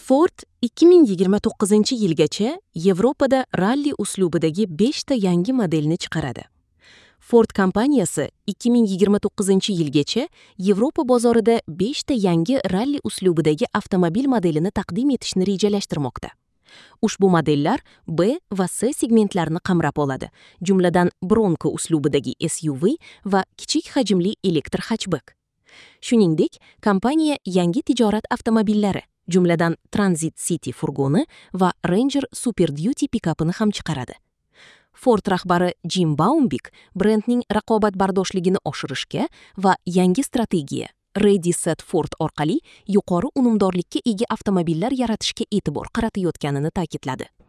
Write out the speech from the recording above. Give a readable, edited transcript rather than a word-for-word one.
Ford 2029-yilgacha Yevropada ralli uslubidagi 5 ta yangi modelni chiqaradi. Ford kompaniyasi 2029-yilgacha Yevropa bozorida 5 ta yangi ralli uslubidagi avtomobil modelini taqdim etishni rejalashtirmoqda. Ushbu modellar B va C segmentlarini qamrab oladi, jumladan Bronco uslubidagi SUV va kichik hajmli elektr hatchback. Shuningdek, kompaniya yangi tijorat avtomobillari, jumladan Transit City furgoni va Ranger Super Duty pikapini ham chiqaradi. Ford rahbari Jim Baumbik brendning raqobatbardoshligini oshirishga va yangi strategiya Ready Set Ford orqali yuqori unumdorlikka ega avtomobillar yaratishga e'tibor qaratayotganini ta'kidladi.